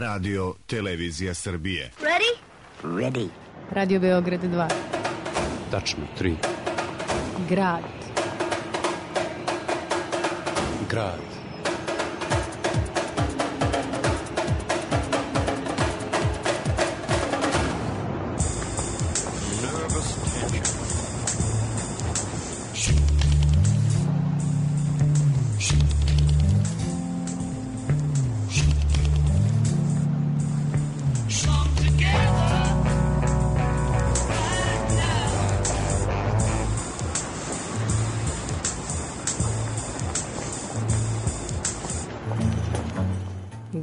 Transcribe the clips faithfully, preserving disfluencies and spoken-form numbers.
Radio Televizija Srbije. Ready? Ready. Radio Beograd dva. Tačno tri. Grad. Grad.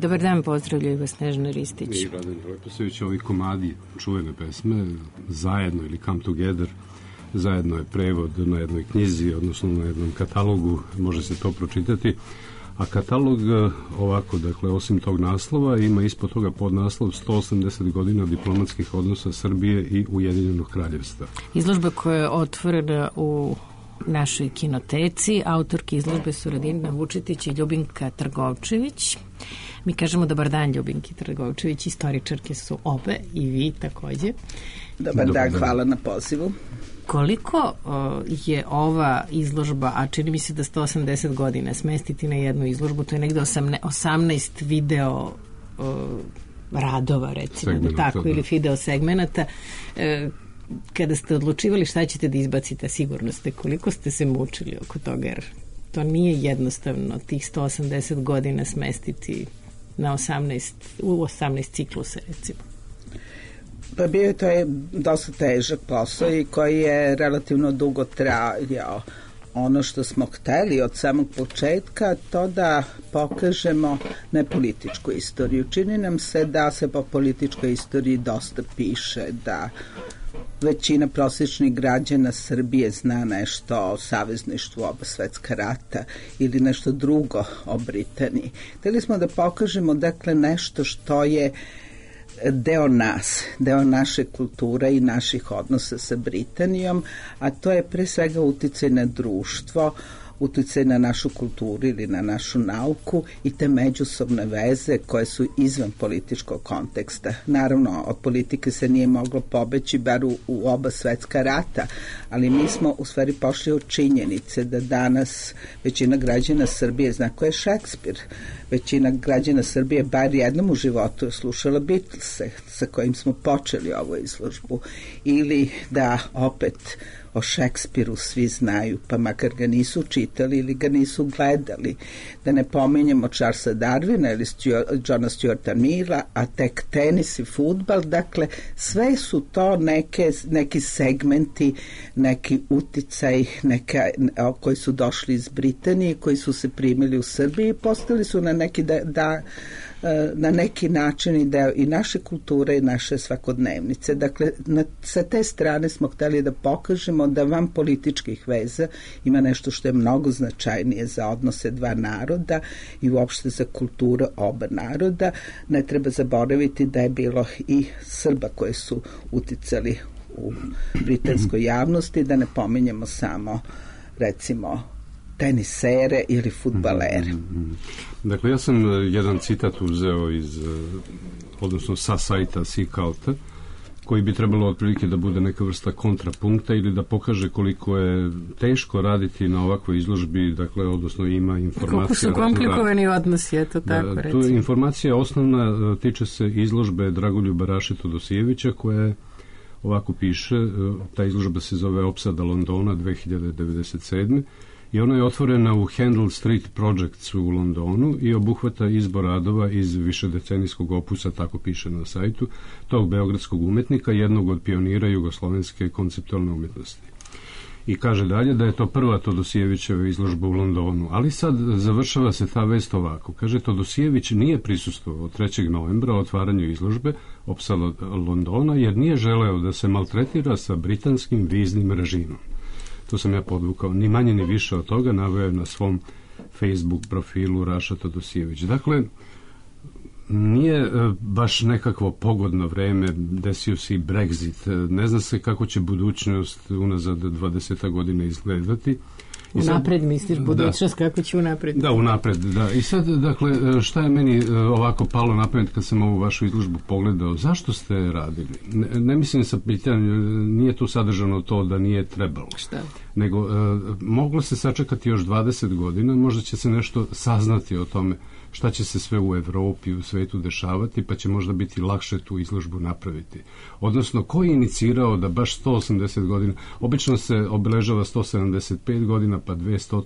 Dobar dan, pozdravljaju vas Snežana Ristić. I Radan Leposević, ovi komadi čuvene pesme, zajedno ili Come Together, zajedno je prevod na jednoj knjizi, odnosno na jednom katalogu, može se to pročitati. A katalog ovako, dakle, osim tog naslova, ima ispod toga podnaslov sto osamdeset godina diplomatskih odnosa Srbije i Ujedinjenog kraljevstva. Izložba koja je otvorena u našoj kinoteci. Autorki izložbe su Radina Vučetić i Ljubinka Trgovčević. Mi kažemo dobar dan Ljubinki Trgovčević, istoričarke su obe i vi takođe. Dobar, dobar dan, dan, hvala na pozivu. Koliko o, je ova izložba, a čini mi se da sto osamdeset godina smestiti na jednu izložbu, to je negde osamnaest video o, radova, recimo, da tako, da. Ili video segmenata. E, kada ste odlučivali šta ćete da izbacite, sigurno ste, koliko ste se mučili oko toga, jer to nije jednostavno tih sto osamdeset godina smestiti na osamnaest, u osamnaest ciklusa, recimo. Pa bio je to je dosta težak posao i koji je relativno dugo trajao. Ono što smo hteli od samog početka, to da pokažemo ne političku istoriju. Čini nam se da se po političkoj istoriji dosta piše, da većina prosječnih građana Srbije zna nešto o savezništvu oba svetska rata ili nešto drugo o Britaniji. Hteli smo da pokažemo, dakle, nešto što je deo nas, deo naše kulture i naših odnosa sa Britanijom, a to je pre svega uticaj na društvo, uticaj na našu kulturu ili na našu nauku i te međusobne veze koje su izvan političkog konteksta. Naravno, od politike se nije moglo pobeći, bar u, u oba svetska rata, ali mi smo u stvari pošli od činjenice da danas većina građana Srbije zna ko je Šekspir. Većina građana Srbije bar jednom u životu je slušala Beatlese, sa kojim smo počeli ovu izložbu, ili da opet o Šekspiru svi znaju, pa makar ga nisu čitali ili ga nisu gledali. Da ne pominjemo Charlesa Darwina ili Stuart, Johna Stuarta Milla, a tek tenis i fudbal. Dakle, sve su to neke, neki segmenti, neki uticaj neka, koji su došli iz Britanije, koji su se primili u Srbiji i postali su na neki da, da na neki način i deo i naše kulture i naše svakodnevnice. Dakle, na, sa te strane smo hteli da pokažemo da van političkih veza ima nešto što je mnogo značajnije za odnose dva naroda i uopšte za kulturu oba naroda. Ne treba zaboraviti da je bilo i Srba koji su uticali u britanskoj javnosti, da ne pominjemo samo, recimo, tenisere ili fudbalere. Dakle, ja sam jedan citat uzeo iz, odnosno sa sajta Seaculta, koji bi trebalo otprilike da bude neka vrsta kontrapunkta ili da pokaže koliko je teško raditi na ovakvoj izložbi, dakle, odnosno ima informacija... Koliko su komplikovani odnosi, eto tako, da, recimo. Tu informacija osnovna tiče se izložbe Dragoljuba Raše Todosijevića, koja je, ovako piše, ta izložba se zove Opsada Londona dve hiljade devedeset sedme. I ona je otvorena u Handel Street Projects u Londonu i obuhvata izbor radova iz višedecenijskog opusa, tako piše na sajtu, tog beogradskog umetnika, jednog od pionira jugoslovenske konceptualne umetnosti. I kaže dalje da je to prva Todosijevićeva izložba u Londonu, ali sad završava se ta vest ovako. Kaže, Todosijević nije prisustvovao trećeg novembra otvaranju izložbe Opsala Londona jer nije želeo da se maltretira sa britanskim viznim režimom. To sam ja podvukao, ni manje ni više od toga, naveo na svom Facebook profilu Raša Todosijević. Dakle, nije baš nekakvo pogodno vreme, desio se i Brexit, ne zna se kako će budućnost unazad dvadeset godina izgledati Unapred misliš, budućnost da, kako će unapred? Da, unapred, da. I sad, dakle, šta je meni ovako palo na pamet kad sam ovu vašu izložbu pogledao? Zašto ste radili? Ne, ne mislim sa pitanjem, nije tu sadržano to da nije trebalo. Šta? Nego, e, moglo se sačekati još dvadeset godina, možda će se nešto saznati o tome šta će se sve u Evropi, u svetu dešavati, pa će možda biti lakše tu izložbu napraviti. Odnosno, ko je inicirao da baš sto osamdeset godina, obično se obeležava sto sedamdeset pet godina, pa dvesta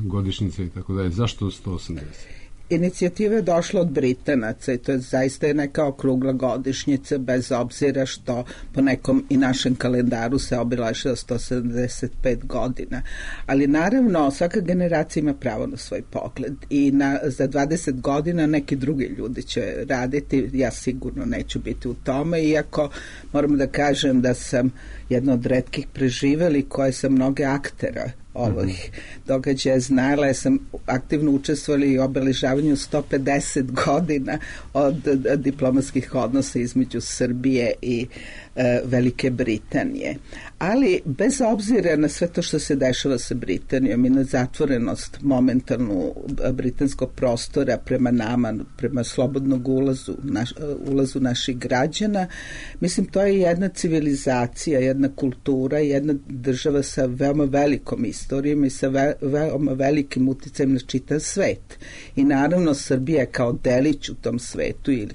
godišnjice i tako dalje. Zašto sto osamdeset? Inicijativa je došla od Britanaca i to je zaista neka okrugla godišnjica, bez obzira što po nekom i našem kalendaru se obeležava sto sedamdeset pet godina. Ali naravno svaka generacija ima pravo na svoj pogled i na, za dvadeset godina neki drugi ljudi će raditi, ja sigurno neću biti u tome, iako moram da kažem da sam jedna od retkih preživeli koje sam mnoge aktera ovih događaja znala. Ja sam aktivno učestvovali u obeležavanju sto pedeset godina od diplomatskih odnosa između Srbije i e, Velike Britanije. Ali bez obzira na sve to što se dešava sa Britanijom i na zatvorenost momentalnu britanskog prostora prema nama, prema slobodnog ulazu, naš, ulazu naših građana, mislim to je jedna civilizacija, jedna kultura, jedna država sa veoma velikom istorijom i sa ve, veoma velikim uticajem na čitav svet. I naravno Srbija kao delić u tom svetu ili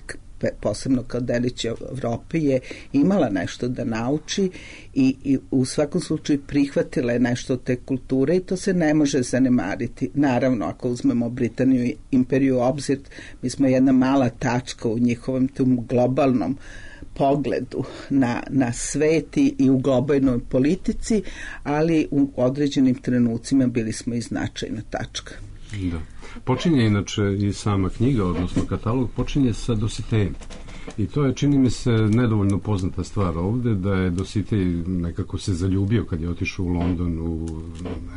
posebno kao delić Evrope je imala nešto da nauči i, i u svakom slučaju prihvatila je nešto od te kulture i to se ne može zanemariti. Naravno, ako uzmemo Britaniju i imperiju u obzir, mi smo jedna mala tačka u njihovom tom globalnom pogledu na, na sveti i u globalnoj politici, ali u određenim trenucima bili smo i značajna tačka. Da. Počinje inače i sama knjiga, odnosno katalog, počinje sa Dositejem. I to je, čini mi se, nedovoljno poznata stvar ovde, da je Dositej nekako se zaljubio kad je otišao u London u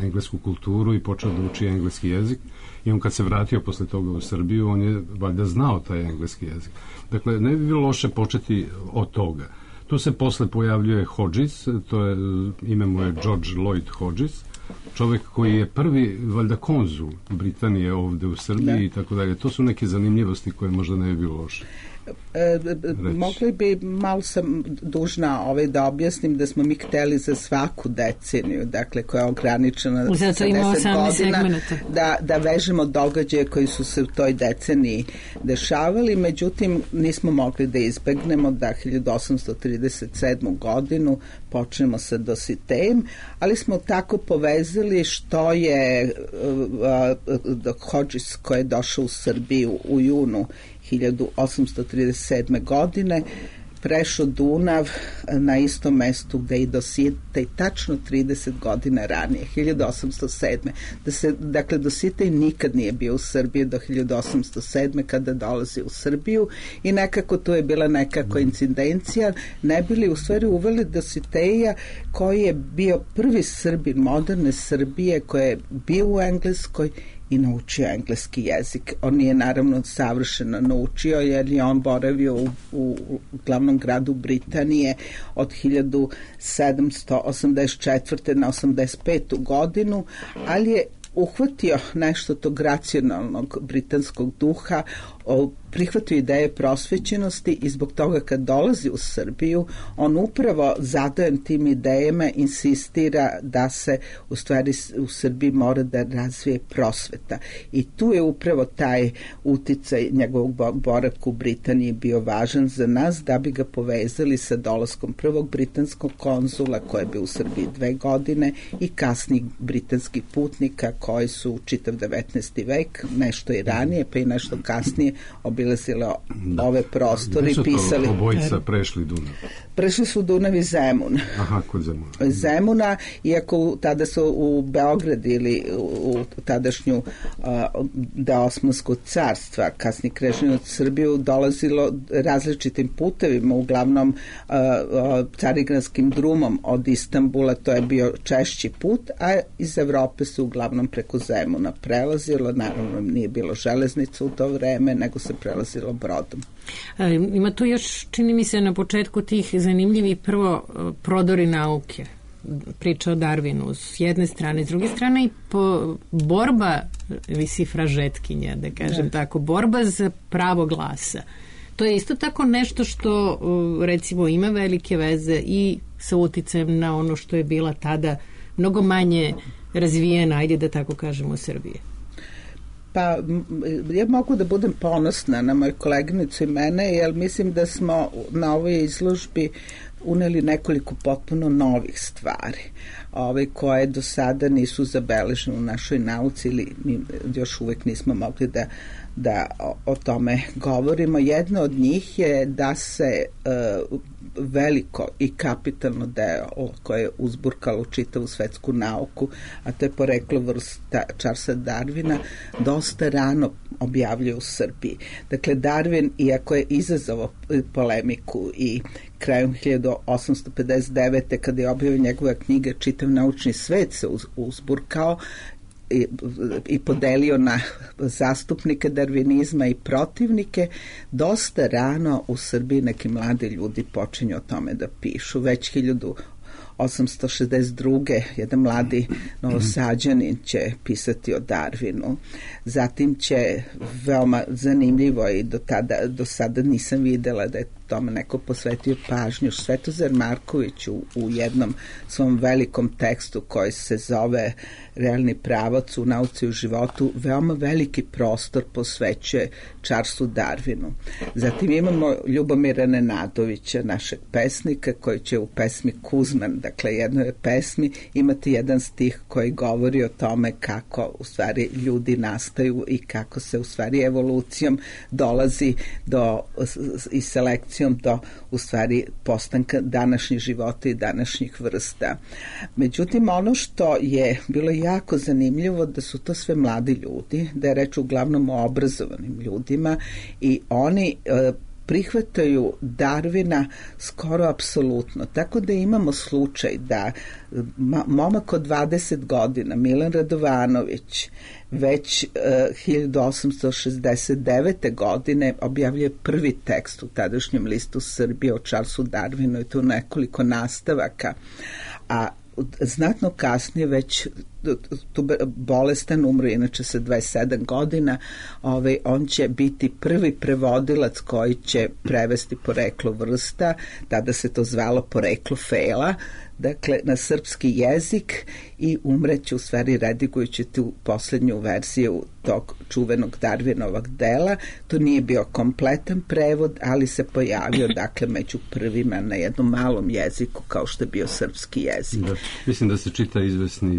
englesku kulturu i počeo da uči engleski jezik. I on kad se vratio posle toga u Srbiju, on je valjda znao taj engleski jezik. Dakle, ne bi bilo loše početi od toga. Tu se posle pojavljuje Hodges, to je, ime mu je George Lloyd Hodges, čovjek koji je prvi, valjda, konzul Britanije ovde u Srbiji da. I tako dalje. To su neke zanimljivosti koje možda ne bi bilo loše. E, mogli bi, malo sam dužna ovaj, da objasnim da smo mi hteli za svaku deceniju, dakle koja je ograničena sa deset godina, da, da vežemo događaje koji su se u toj deceniji dešavali, međutim nismo mogli da izbegnemo da hiljadu osamsto trideset sedmu godinu počnemo sa Dositejem, ali smo tako povezali što je uh, uh, Hodges koji je došao u Srbiju u junu hiljadu osamsto trideset sedme godine prešao Dunav na istom mestu gde i Dositej tačno trideset godina ranije, hiljadu osamsto sedme. Da se, dakle, Dositej nikad nije bio u Srbiji do hiljadu osamsto sedme kada dolazi u Srbiju i nekako to je bila neka koincidencija, ne bili u stvari uveli Dositeja koji je bio prvi Srbin moderne Srbije koji je bio u Engleskoj i naučio engleski jezik. On nije naravno savršeno naučio jer je on boravio u, u, u glavnom gradu Britanije od hiljadu sedamsto osamdeset četvrte na osamdeset petu godinu, ali je uhvatio nešto tog racionalnog britanskog duha, prihvatio ideje prosvećenosti i zbog toga kad dolazi u Srbiju, on upravo zadojen tim idejama insistira da se u stvari u Srbiji mora da razvije prosveta. I tu je upravo taj uticaj njegovog boravka u Britaniji bio važan za nas da bi ga povezali sa dolaskom prvog britanskog konzula koji je bio u Srbiji dve godine i kasnijih britanskih putnika koji su čitav devetnaesti vek, nešto i ranije pa i nešto kasnije obilazile ove prostore i pisali. Obojica prešli Dunav? Prešli su Dunav i Zemun. Aha, kod Zemuna. Zemuna, iako tada su u Beograd ili u tadašnju uh, deo Osmanskog carstva, kasnije krežnje od Srbiju, dolazilo različitim putevima, uglavnom uh, uh, carigranskim drumom od Istanbula, to je bio češći put, a iz Evrope su uglavnom preko Zemuna prelazilo, naravno nije bilo železnica u to vreme, nego se prelazilo brodom. E, ima tu još, čini mi se, na početku tih zanimljivi prvo prodori nauke priča o Darwinu s jedne strane, s druge strane i po, borba visi fražetkinja, da kažem ne. tako, borba za pravo glasa. To je isto tako nešto što recimo ima velike veze i sa uticajem na ono što je bila tada mnogo manje razvijena, ajde da tako kažemo, Srbije. Pa ja mogu da budem ponosna na moju koleginicu i mene, jer mislim da smo na ovoj izložbi uneli nekoliko potpuno novih stvari, ove koje do sada nisu zabeležene u našoj nauci ili mi još uvek nismo mogli da da o, o tome govorimo. Jedno od njih je da se uh, veliko i kapitalno delo koje je uzburkalo čitavu svetsku nauku, a to je poreklo vrsta Charlesa Darwina, dosta rano objavljuje u Srbiji. Dakle, Darwin, iako je izazvao polemiku i krajem hiljadu osamsto pedeset devete kada je objavio njegove knjige, čitav naučni svet se uz, uzburkao I, i podelio na zastupnike darvinizma i protivnike, dosta rano u Srbiji neki mladi ljudi počinju o tome da pišu. Već hiljadu osamsto šezdeset druge jedan mladi Novosađanin će pisati o Darwinu. Zatim će veoma zanimljivo i do, tada, do sada nisam videla da je tome neko posvetio pažnju, Svetozar Marković u, u jednom svom velikom tekstu koji se zove Realni pravac u nauci u životu veoma veliki prostor posvećuje Charlesu Darwinu. Zatim imamo Ljubomira Nenadovića, našeg pesnika, koji će u pesmi Kuzman, dakle jednoj pesmi, imati jedan stih koji govori o tome kako u stvari ljudi nastaju i kako se u stvari evolucijom dolazi do i selekcijom do u stvari postanka današnjih života i današnjih vrsta. Međutim, ono što je bilo jako zanimljivo da su to sve mladi ljudi, da je reč uglavnom o obrazovanim ljudima i oni e, prihvataju Darwina skoro apsolutno. Tako da imamo slučaj da momak od dvadeset godina, Milan Radovanović, već uh, hiljadu osamsto šezdeset devete godine objavljuje prvi tekst u tadašnjem listu Srbije o Charlesu Darwinu i to nekoliko nastavaka, a znatno kasnije već tu bolestan, umro inače sa dvadeset sedam godina, ovaj, on će biti prvi prevodilac koji će prevesti poreklo vrsta, tada se to zvalo poreklo fela, dakle na srpski jezik i umreće u stvari redigujući tu poslednju verziju tog čuvenog Darwinovog dela. To nije bio kompletan prevod, ali se pojavio dakle među prvima na jednom malom jeziku kao što je bio srpski jezik. Da, mislim da se čita izvesni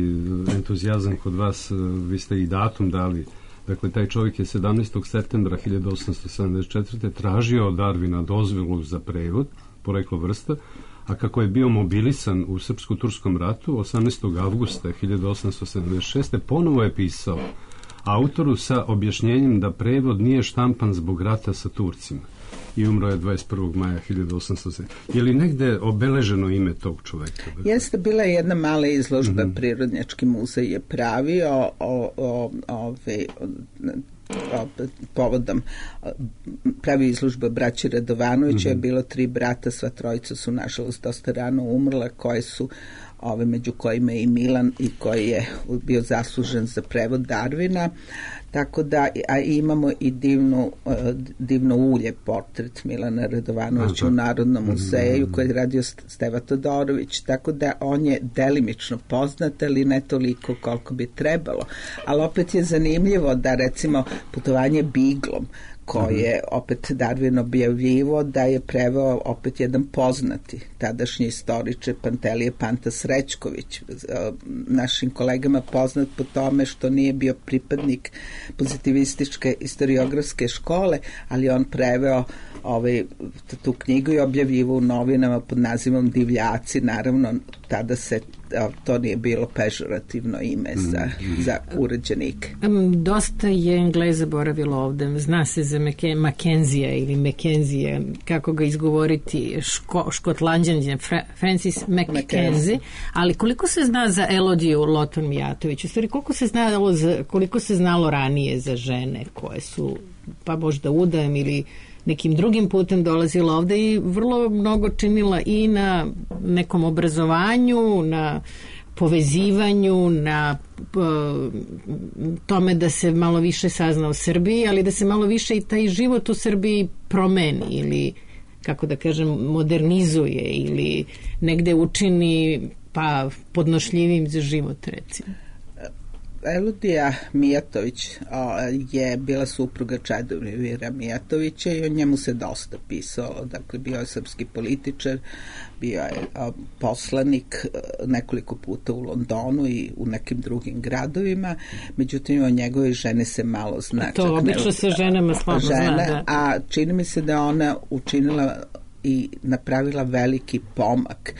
entuzijazam kod vas, vi ste i datum dali. Dakle, taj čovjek je sedamnaestog septembra hiljadu osamsto sedamdeset četvrte tražio od Darwina dozvolu za prevod, poreklo vrsta, a kako je bio mobilisan u Srpsko-turskom ratu, osamnaestog avgusta hiljadu osamsto sedamdeset šeste ponovo je pisao autoru sa objašnjenjem da prevod nije štampan zbog rata sa Turcima i umro je dvadeset prvog maja hiljadu osamsto sedamdesete. Je li negde obeleženo ime tog čoveka? Jeste, bila je jedna mala izložba, mm-hmm. Prirodnjački muzej je pravio o, o, o, ove, o, povodom pravi izložba braći Radovanovića, mm-hmm. je bilo tri brata, sva trojica su nažalost dosta rano umrla, koje su ove među kojima je i Milan i koji je bio zaslužen za prevod Darwina, tako da a imamo i divnu, uh, divno ulje portret Milana Radovanovića Aha. u Narodnom muzeju koji je radio Steva Todorović, tako da on je delimično poznat, ali ne toliko koliko bi trebalo, ali opet je zanimljivo da recimo putovanje biglom koje je opet Darwin objavljivo da je preveo opet jedan poznati tadašnji istoričar Pantelije Panta Srećković, našim kolegama poznat po tome što nije bio pripadnik pozitivističke historiografske škole, ali on preveo ovaj, tu knjigu i objavljivo u novinama pod nazivom Divljaci, naravno tada se to nije bilo pežorativno ime za, mm. za uređenike. Um, dosta je Engleza boravilo ovde. Zna se za Mackenzija ili Mackenzija, kako ga izgovoriti, ško, škotlanđanđe, Francis Mackenzie, ali koliko se zna za Elodiju Loton Mijatović? U stvari, koliko se znalo, za, koliko se znalo ranije za žene koje su, pa možda udajem ili nekim drugim putem dolazila ovde i vrlo mnogo činila i na nekom obrazovanju, na povezivanju, na uh, tome da se malo više sazna o Srbiji, ali da se malo više i taj život u Srbiji promeni ili, kako da kažem, modernizuje ili negde učini pa podnošljivim za život, recimo. Eludija Mijatović je bila supruga Čedomira Mijatovića i o njemu se dosta pisalo. Dakle, bio je srpski političar, bio je poslanik nekoliko puta u Londonu i u nekim drugim gradovima, međutim o njegove žene se malo zna. To obično se ženama slabo zna, da. A čini mi se da ona učinila i napravila veliki pomak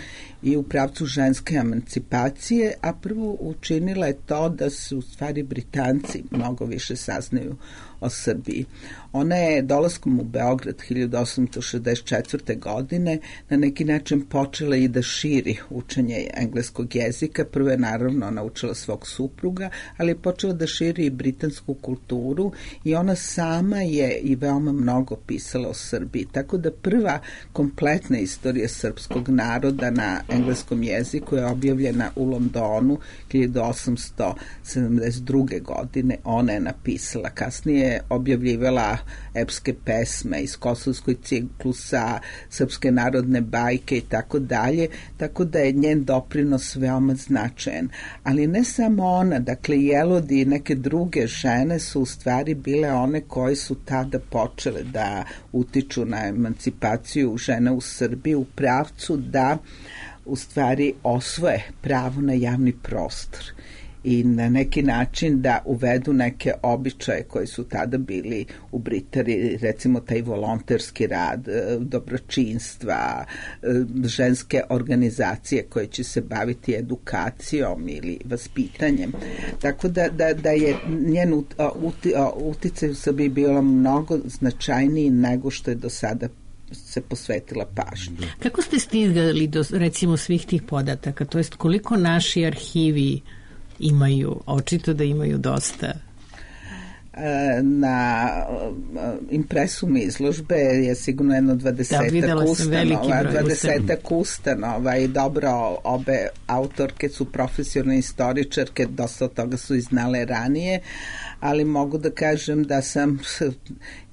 i u pravcu ženske emancipacije, a prvo učinila je to da se u stvari Britanci mnogo više saznaju o Srbiji. Ona je dolaskom u Beograd hiljadu osamsto šezdeset četvrte. godine na neki način počela i da širi učenje engleskog jezika. Prvo je naravno naučila svog supruga, ali je počela da širi i britansku kulturu i ona sama je i veoma mnogo pisala o Srbiji. Tako da prva kompletna istorija srpskog naroda na engleskom jeziku je objavljena u Londonu hiljadu osamsto sedamdeset druge. godine. Ona je napisala. Kasnije je objavljivala epske pesme iz Kosovskoj ciklusa, srpske narodne bajke i tako dalje, tako da je njen doprinos veoma značajan. Ali ne samo ona, dakle i Elodi i neke druge žene su u stvari bile one koje su tada počele da utiču na emancipaciju žena u Srbiji u pravcu da u stvari osvoje pravo na javni prostor i na neki način da uvedu neke običaje koji su tada bili u Britaniji, recimo taj volonterski rad, dobročinstva, ženske organizacije koje će se baviti edukacijom ili vaspitanjem. Tako da, da, da je njen uti, uticaj u Srbiji bilo mnogo značajniji nego što je do sada se posvetila pažnju. Kako ste stigli do, recimo, svih tih podataka? To jest koliko naši arhivi imaju, očito da imaju dosta? Na impresum izložbe je sigurno jedno dvadesetak da, ustanova, dvadesetak ustanova i dobro, obe autorke su profesionalne istoričarke, dosta od toga su i znale ranije, ali mogu da kažem da sam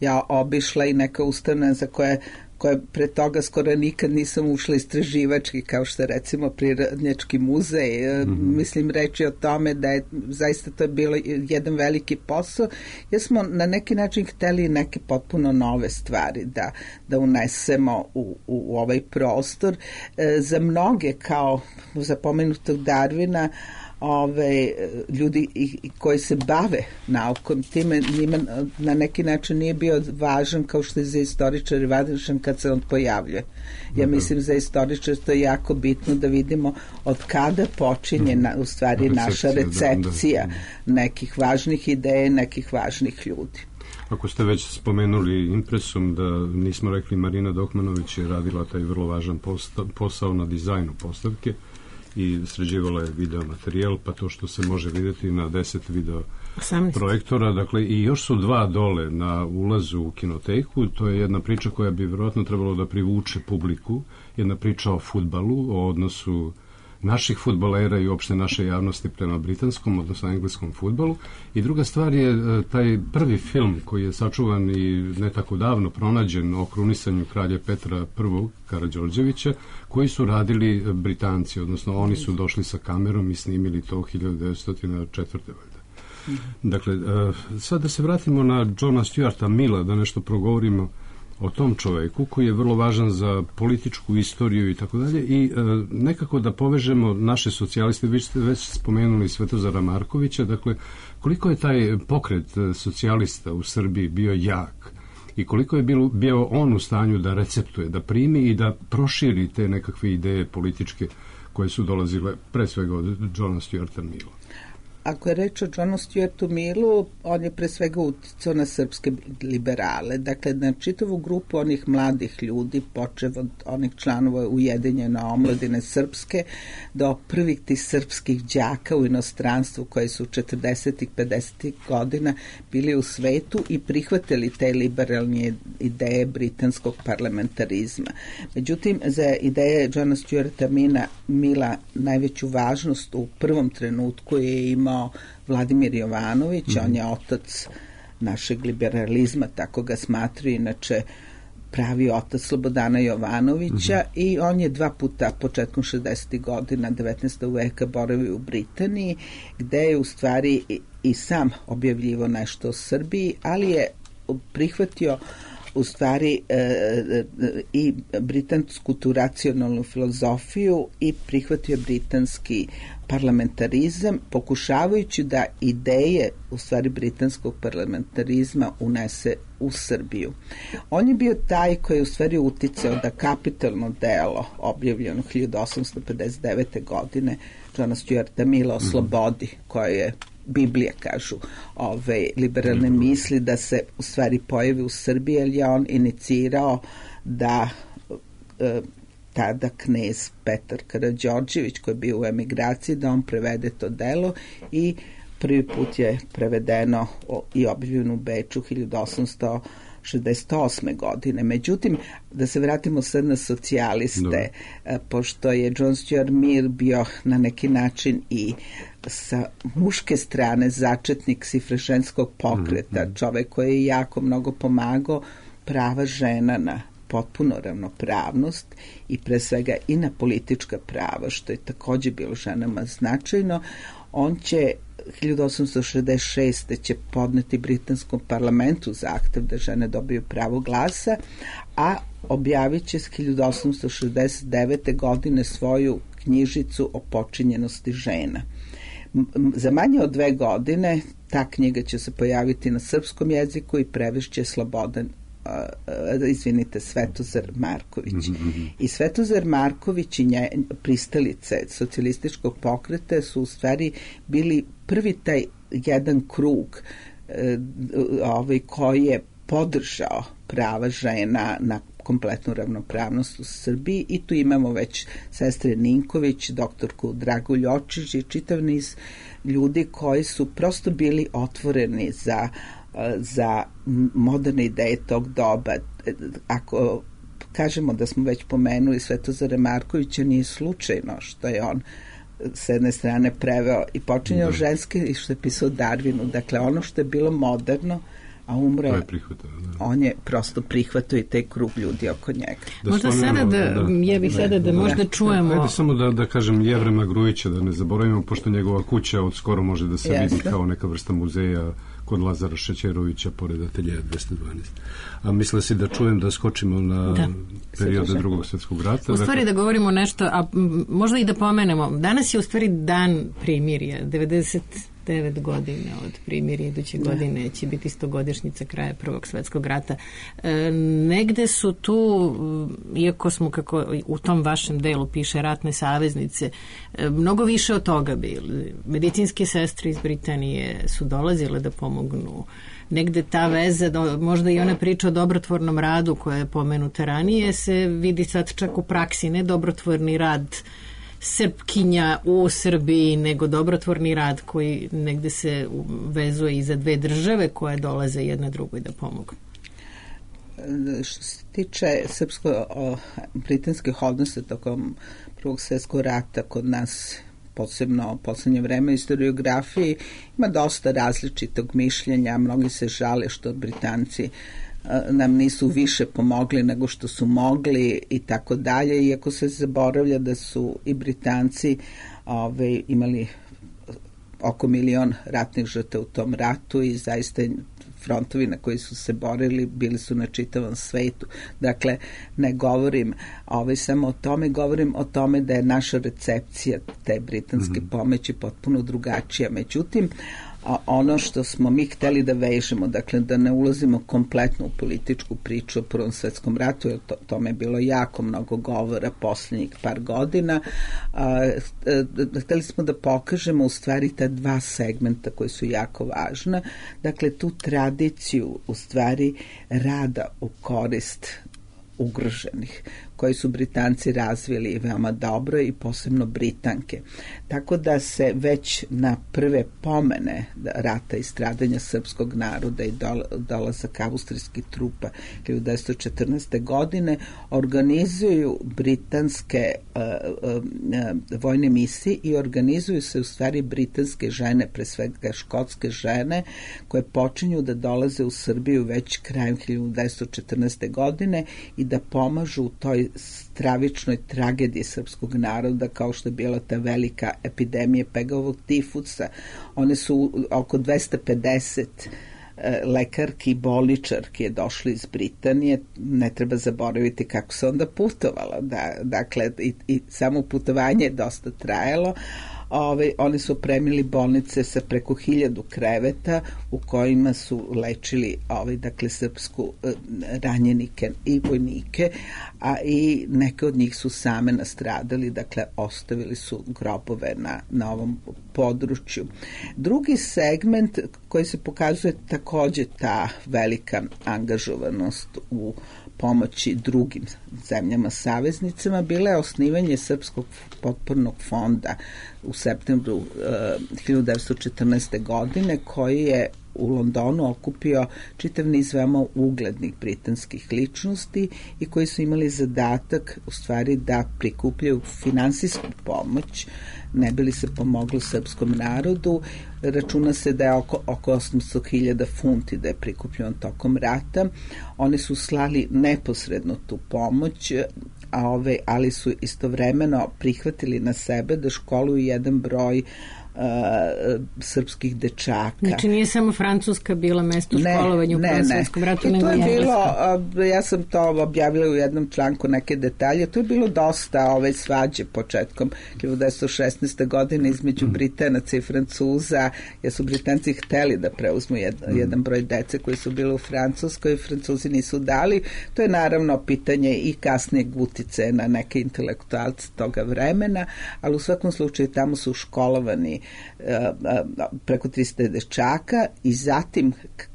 ja obišla i neka ustanova za koje koje pre toga skoro nikad nisam ušla istraživački, kao što je recimo Prirodnjački muzej. Mm-hmm. Mislim, reći o tome da je zaista to je bilo jedan veliki posao, jer smo na neki način hteli neke potpuno nove stvari da, da unesemo u, u, u ovaj prostor. E, za mnoge, kao za pomenutog Darwina, ove ljudi i, i koji se bave naukom, time njima na neki način nije bio važan kao što je za istoričare važan kad se on pojavljuje. Ja mislim za istoričare to je jako bitno da vidimo od kada počinje na, u stvari naša recepcija nekih važnih ideja, nekih važnih ljudi. Ako ste već spomenuli impresum, da nismo rekli, Marina Dokmanović je radila taj vrlo važan posta, posao na dizajnu postavke i sređivala je video materijal, pa to što se može vidjeti na deset video osamnaest projektora, dakle i još su dva dole na ulazu u kinoteku. To je jedna priča koja bi vjerojatno trebalo da privuče publiku, jedna priča o fudbalu, o odnosu naših fudbalera i uopšte naše javnosti prema britanskom, odnosno engleskom fudbalu. I druga stvar je taj prvi film koji je sačuvan i ne tako davno pronađen o krunisanju kralja Petra prvog. Karađorđevića, koji su radili Britanci, odnosno oni su došli sa kamerom i snimili to hiljadu devetsto četvrte. Mm-hmm. Dakle, sad da se vratimo na Johna Stuarta Milla, da nešto progovorimo o tom čoveku koji je vrlo važan za političku istoriju i tako dalje, i e, nekako da povežemo naše socijaliste. Vi ste već spomenuli Svetozara Markovića, dakle koliko je taj pokret socijalista u Srbiji bio jak i koliko je bilo, bio on u stanju da receptuje, da primi i da proširi te nekakve ideje političke koje su dolazile pre svega od Johna Stuarta Milla. ako je reč o Johnu Stuartu Millu, on je pre svega uticao na srpske liberale. Dakle, na čitavu grupu onih mladih ljudi, počev od onih članova Ujedinjene omladine srpske, do prvih tih srpskih đaka u inostranstvu koji su četrdesetih, pedesetih godina bili u svetu i prihvatili te liberalne ideje britanskog parlamentarizma. Međutim, za ideje Johna Stuarta Milla najveću važnost u prvom trenutku je imao Vladimir Jovanović, mm. on je otac našeg liberalizma, tako ga smatraju, inače pravi otac Slobodana Jovanovića, mm-hmm. i on je dva puta početkom šezdesetih godina devetnaestog veka boravio u Britaniji, gde je u stvari i, i sam objavljivo nešto o Srbiji, ali je prihvatio u stvari e, e, i britansku tu racionalnu filozofiju i prihvatio britanski parlamentarizam, pokušavajući da ideje u stvari britanskog parlamentarizma unese u Srbiju. On je bio taj koji je u stvari uticao da kapitalno delo objavljeno hiljadu osamsto pedeset devete godine Johna Stuarta Milla o slobodi, koje je Biblija, kažu ove liberalne misli, da se u stvari pojavi u Srbiji, jer je on inicirao da e, tada knez Petar Karađorđević, koji je bio u emigraciji, da on prevede to delo i prvi put je prevedeno i objavljeno u Beču hiljadu osamsto šezdeset osme godine. Međutim, da se vratimo sad na socijaliste, no. pošto je John Stuart Mill bio na neki način i sa muške strane začetnik sifreženskog pokreta, mm-hmm. čovek koji je jako mnogo pomagao prava žena na potpuno ravnopravnost i pre svega i na politička prava, što je takođe bilo ženama značajno. On će hiljadu osamsto šezdeset šeste će podneti britanskom parlamentu zahtev da žene dobiju pravo glasa, a objavit će s hiljadu osamsto šezdeset devete godine svoju knjižicu o počinjenosti žena. Za manje od dve godine ta knjiga će se pojaviti na srpskom jeziku i prevešće Slobodan Uh, izvinite, Svetozar Marković. Mm-hmm. I Svetozar Marković i nje, pristalice socijalističkog pokreta su u stvari bili prvi taj jedan krug uh, ovaj, koji je podržao prava žena na kompletnu ravnopravnost u Srbiji, i tu imamo već sestre Ninković, doktorku Dragu Ljočić i čitav niz ljudi koji su prosto bili otvoreni za za moderne ideje tog doba. Ako kažemo da smo već pomenuli Svetozara Markovića, nije slučajno što je on s jedne strane preveo i počinjao da. ženske i što je pisao Darwinu. Dakle, ono što je bilo moderno, a umre, je prihvatao, da. on je prosto prihvatao i taj krug ljudi oko njega. Da možda sada da, da, ja bih sada da, da možda čujemo... Ajde samo da, da kažem Jevrema Grujića, da ne zaboravimo, pošto njegova kuća od skoro može da se Jeste. vidi kao neka vrsta muzeja kod Lazara Šećerovića pored ateljeja dvesta dvanaest. A misle si da čujem da skočimo na da. periode drugog svjetskog rata? U stvari da govorimo nešto, a možda i da pomenemo. Danas je u stvari dan primirja, devedeset devet godine od primirja, iduće da. godine će biti stogodišnjica kraja Prvog svjetskog rata. E, negde su tu, iako smo, kako u tom vašem delu piše, ratne saveznice, e, mnogo više od toga bili. Medicinske sestre iz Britanije su dolazile da pomognu. Negde ta veza, do, možda i ona priča o dobrotvornom radu koja je pomenuta ranije, se vidi sad čak u praksi, ne dobrotvorni rad Srpkinja u Srbiji, nego dobrotvorni rad koji negde se vezuje i za dve države koje dolaze jedna drugoj da pomogu. Što se tiče srpsko-britanskih odnosa tokom Prvog svjetskog rata kod nas, posebno u poslednje vreme historiografiji, ima dosta različitog mišljenja. Mnogi se žale što Britanci nam nisu više pomogli nego što su mogli i tako dalje, iako se zaboravlja da su i Britanci ove, imali oko milion ratnih žrtava u tom ratu i zaista frontovi na koji su se borili bili su na čitavom svetu. Dakle, ne govorim ovaj, samo o tome, govorim o tome da je naša recepcija te britanske mm-hmm. pomoći potpuno drugačija. Međutim, a ono što smo mi hteli da vežemo, dakle da ne ulazimo kompletno u političku priču o Prvom svetskom ratu, jer to, tome je bilo jako mnogo govora posljednjih par godina, a, a, hteli smo da pokažemo u stvari ta dva segmenta koji su jako važna, dakle tu tradiciju u stvari rada u korist ugroženih, koji su Britanci razvili veoma dobro i posebno Britanke. Tako da se već na prve pomene rata i stradanja srpskog naroda i dolazak austrijskih trupa hiljadu devetsto četrnaeste. godine organizuju britanske uh, uh, vojne misije i organizuju se u stvari britanske žene, pre svega škotske žene, koje počinju da dolaze u Srbiju već krajem hiljadu devetsto četrnaeste. godine i da pomažu u toj stravičnoj tragediji srpskog naroda, kao što je bila ta velika epidemija pegavog tifusa. One su oko dvesta pedeset lekarki i bolničarki je došli iz Britanije. Ne treba zaboraviti kako se onda putovala. Da, dakle, i, i samo putovanje je dosta trajalo. Ove, oni su opremili bolnice sa preko hiljadu kreveta u kojima su lečili ove, dakle, srpsku e, ranjenike i vojnike, a i neke od njih su same nastradali, dakle ostavili su grobove na, na ovom području. Drugi segment koji se pokazuje takođe ta velika angažovanost u pomoći drugim zemljama saveznicama bila je osnivanje Srpskog potpornog fonda u septembru uh, hiljadu devetsto četrnaeste. godine, koji je u Londonu okupio čitav niz veoma uglednih britanskih ličnosti i koji su imali zadatak u stvari da prikupljaju finansijsku pomoć, ne bi li se pomoglo srpskom narodu. Računa se da je oko, oko osamsto hiljada funti da je prikupljeno tokom rata. Oni su slali neposredno tu pomoć, a ove, ali su istovremeno prihvatili na sebe da školuju jedan broj Uh, srpskih dečaka. Znači nije samo Francuska bila mesto školovanja u Prvom svetskom ratu, nego je bilo, uh, ja sam to objavila u jednom članku neke detalje, to je bilo dosta ove svađe početkom hiljadu devetsto šesnaeste. godine između Britanaca i Francuza, jer su Britanci hteli da preuzmu jedan, jedan broj dece koji su bili u Francuskoj, Francuzi nisu dali. To je naravno pitanje i kasnijeg uticaja na neke intelektualce toga vremena, ali u svakom slučaju tamo su školovani preko trista dečaka i zatim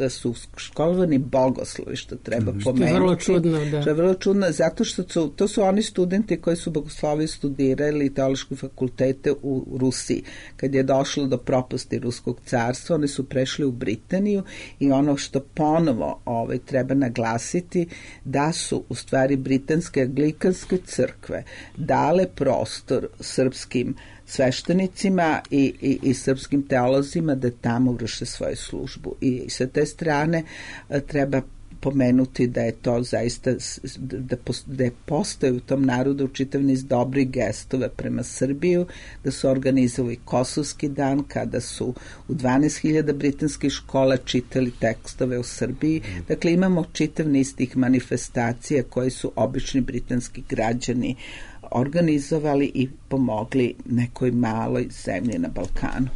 su školovani bogoslovi, što treba pomenuti. Što je vrlo čudno, da. Što je vrlo čudno, zato što su, to su oni studenti koji su bogoslovi studirali teološke fakultete u Rusiji. Kad je došlo do propasti Ruskog carstva, oni su prešli u Britaniju i ono što ponovo ovaj, treba naglasiti, da su u stvari britanske anglikanske crkve dale prostor srpskim sveštenicima i, i, i srpskim teolozima da tamo vrše svoju službu. I sa te strane treba pomenuti da je to zaista, da, da je postoje u tom narodu čitav niz dobrih gestove prema Srbiju, da su organizovali Kosovski dan, kada su u dvanaest hiljada britanskih škola čitali tekstove u Srbiji. Dakle, imamo čitav niz tih manifestacija koji su obični britanski građani organizovali i pomogli nekoj maloj zemlji na Balkanu.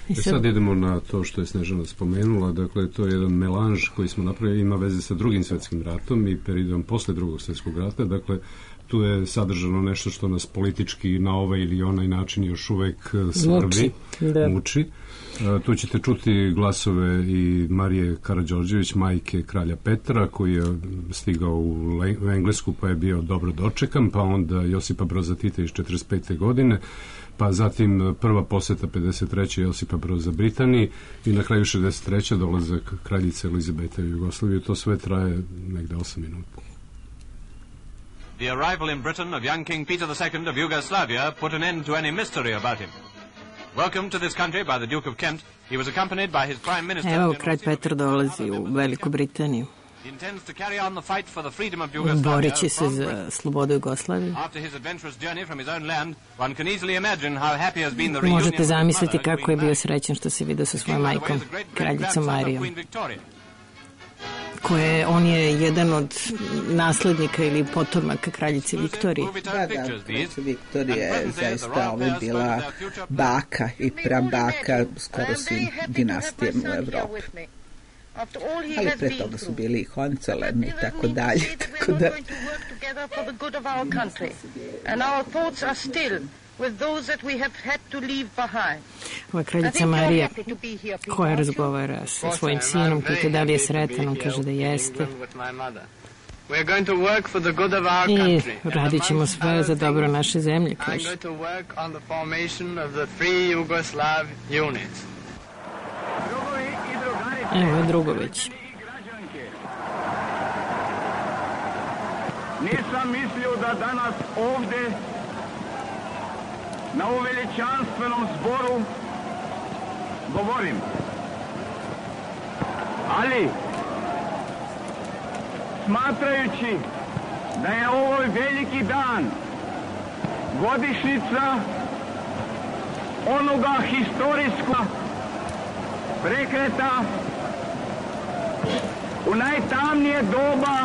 I sad, sad idemo na to što je Snežana spomenula, dakle to je jedan melanž koji smo napravili, ima veze sa drugim svetskim ratom i periodom posle drugog svjetskog rata, dakle tu je sadržano nešto što nas politički na ovaj ili onaj način još uvek svrbi, muči. muči. Uh, tu ćete čuti glasove i Marije Karađorđević, majke kralja Petra, koji je stigao u, Le- u Englesku pa je bio dobro dočekan, pa onda Josipa Broza Tita iz četrdeset pete. godine, pa zatim prva poseta pedeset treće. Josipa Broza Britaniji i na kraju šezdeset treće. dolazak kraljice Elizabete u Jugoslaviju. To sve traje negde osam minuta. The arrival in Britain of young King Peter the Second of Yugoslavia put an end to any mystery about him. Welcome to this country by the Duke of Kent. He was accompanied by his prime minister. Evo, kralj Petar dolazi u Veliku Britaniju. He intends to carry on the fight for the freedom of Yugoslavia. Borit će se za slobodu Jugoslavije. After his adventurous journey from his own land, one can easily imagine how happy has been the reunion. Možete zamisliti kako je bio srećan što se vidio sa svojom majkom, kraljicom Marijom. koje on je jedan od naslednika ili potomaka kraljice Viktorije. Da, da, kraljica Viktorija je zaista ovdje bila baka i prabaka skoro svim dinastijama u Evropi. Ali pre toga su bili i Hohenzollern i tako dalje. Tako da... Ova kraljica Marija koja razgovara sa svojim sinom, pita da li je sretan, on kaže da jeste. I radit ćemo sve za dobro naše zemlje, kaže. Evo je Drugović. Nisam mislio da danas ovde na ovom veličanstvenom zboru govorim. Ali, smatrajući da je ovo veliki dan, godišnjica onoga historijskog prekreta u najtamnije doba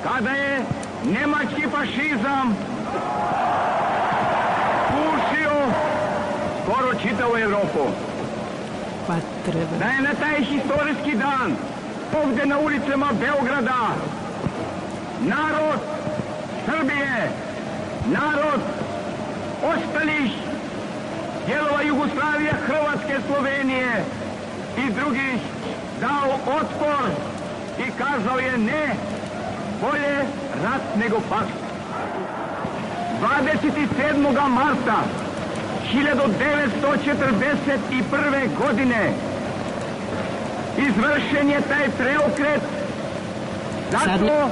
kada je nemački fašizam pušio skoro čitavu Evropu. Pa treba. Da je na taj historijski dan ovdje na ulicama Beograda narod Srbije, narod ostalih dijelova Jugoslavije, Hrvatske, Slovenije i drugih dao otpor i kazao je ne, bolje rat nego pakt. dvadeset sedmog marta hiljadu devetsto četrdeset prve. godine izvršen je taj preokret zato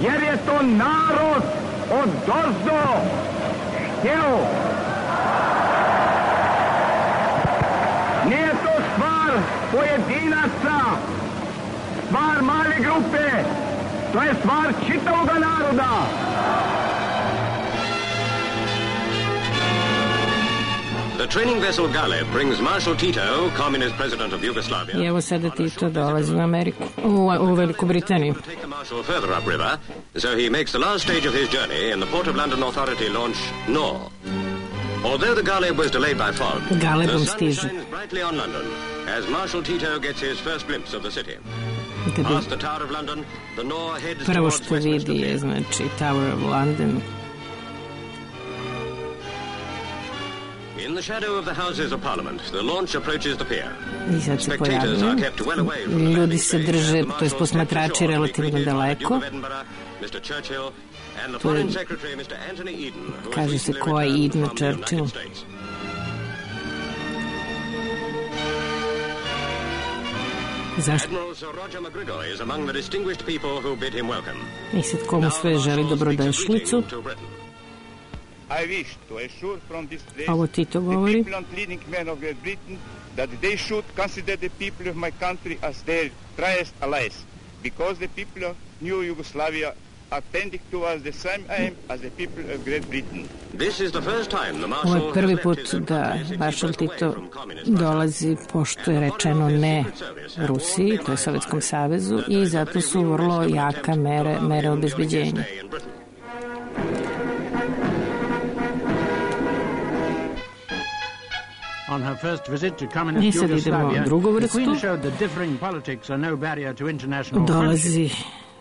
jer je to narod odozdo hteo. Nije to stvar pojedinaca, stvar male grupe, to je stvar čitavog naroda. The training vessel Galeb brings Marshal Tito, communist president of Yugoslavia. I evo sada Tito dolazi u Ameriku, u, u Veliku Britaniju. Take the Marshal further upriver, so he makes the last stage of his journey in the Port of London Authority launch Nor. Although the Galeb was delayed by fog, Galebom the sun stiže. shines brightly on London as Marshal Tito gets his first glimpse of the city. Past the Tower of London, the Nor heads Prvo towards što vidi je, znači, Tower of London. In the shadow of the Houses of Parliament, the launch approaches the pier. I sad se Spectators are pojavljaju. kept well away from the Ljudi landing se place drže, as the to je marshal posmatrači steps ashore to be relativno greeted by the daleko. Duke of Edinburgh, mister Churchill, and the To je- Foreign Secretary, mister Anthony Eden, who has Kaže se recently ko je returned Eden from the United Churchill. States. Zašto? Admiral Sir Roger McGregor is among the distinguished people who bid him welcome. I sad komu sve želi dobrodošlicu. I wish to assure from this place Ovo Tito the govori. people and leading men of Great Britain that they should consider the people of my country as their truest allies, because the people of New Yugoslavia are tending towards the same aim as the people of Great Britain. This is the first time the Ovo marshal je has prvi left put his own da country sixty maršal miles away Tito from communist Russia. dolazi, pošto je rečeno ne Rusiji, to je Sovjetskom savezu, i zato su vrlo jaka mere, mere obezbeđenja. On her first visit to I communist sad idemo Yugoslavia, u drugu the vrstu. Queen showed that differing politics are no barrier to international friendship. Dolazi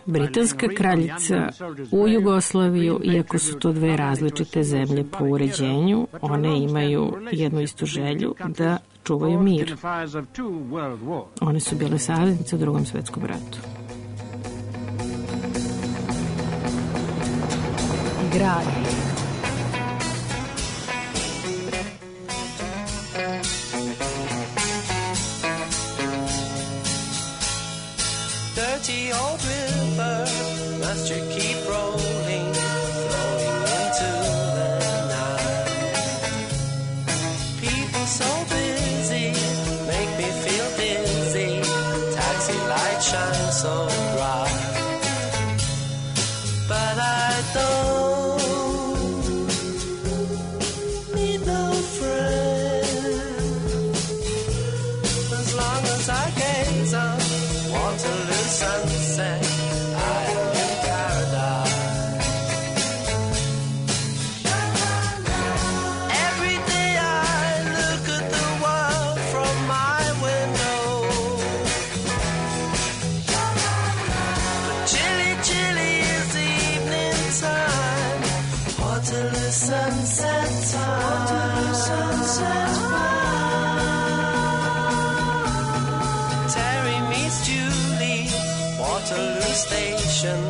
britanska kraljica u Jugoslaviju, iako su to dve različite zemlje po uređenju, one imaju jednu istu želju da čuvaju In mir. the fires of two world wars. One su bile saveznice u Drugom svetskom ratu. Grad. Dirty old river, must you keep rolling, flowing into the night? People so busy, make me feel dizzy, taxi lights shine so bright. But I don't need no friend, as long as I gaze on water sunset time. Sunset time. Terry meets Julie, Waterloo Station,